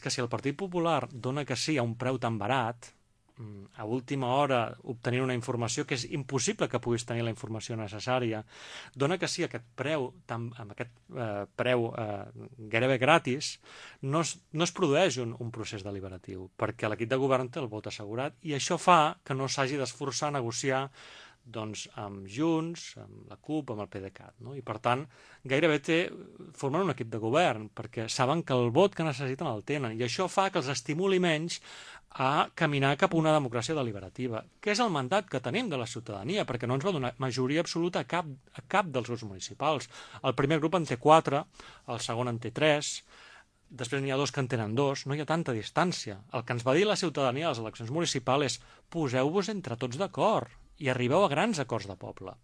Que si el Partit Popular dona que sí a un preu tan barat, a última hora obtenir una informació que és impossible que puguis tenir la informació necessària, dona que sí a aquest preu, amb aquest preu gairebé gratis, no es produeix un procés deliberatiu, perquè l'equip de govern té el vot assegurat i això fa que no s'hagi d'esforçar a negociar doncs, amb Junts, amb la CUP, amb el PDeCAT. No? I per tant, gairebé formen un equip de govern, perquè saben que el vot que necessiten el tenen, i això fa que els estimuli menys a caminar cap a una democràcia deliberativa, que és el mandat que tenim de la ciutadania, perquè no ens va donar majoria absoluta a cap dels grups municipals. El primer grup en té 4, el segon en té 3, després n'hi ha 2 que en tenen 2, no hi ha tanta distància. El que ens va dir la ciutadania a les eleccions municipals és poseu-vos entre tots d'acord i arribeu a grans acords de poble.